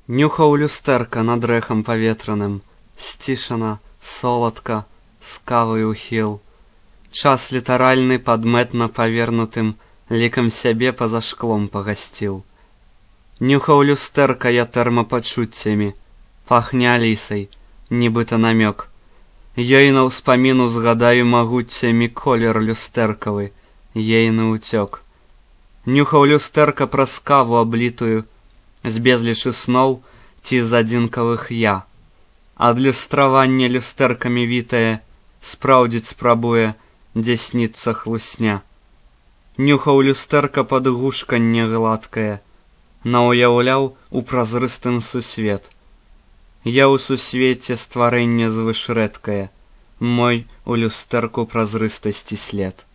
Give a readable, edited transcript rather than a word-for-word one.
Нюхаў люстэрка над рэхам паветраным, сцішана, соладка, з кавай ухіл. Час літаральны падмэтна павернутым лікам сябе па-за шклом пагасціў. Нюхаў люстэрка я тэрмапачуццямі, пахне алісай, нібыта намёк. Ёй на ўспаміну згадаю магуццямі колер люстэркавы, ейны ўцёк. Нюхаў люстэрка праз каву аблітую, з безлічы сноў ці з адзінкавых я. Адлюстраванне люстэркамі вітае, спраўдзіць спрабуе, дзе сніцца хлусня. Нюхаў люстэрка падгушканне гладкае, наўяўляў у празрыстым сусвет. Я ў сусвеце стварэнне звышрэдкае, мой у люстэрку празрыстасці след.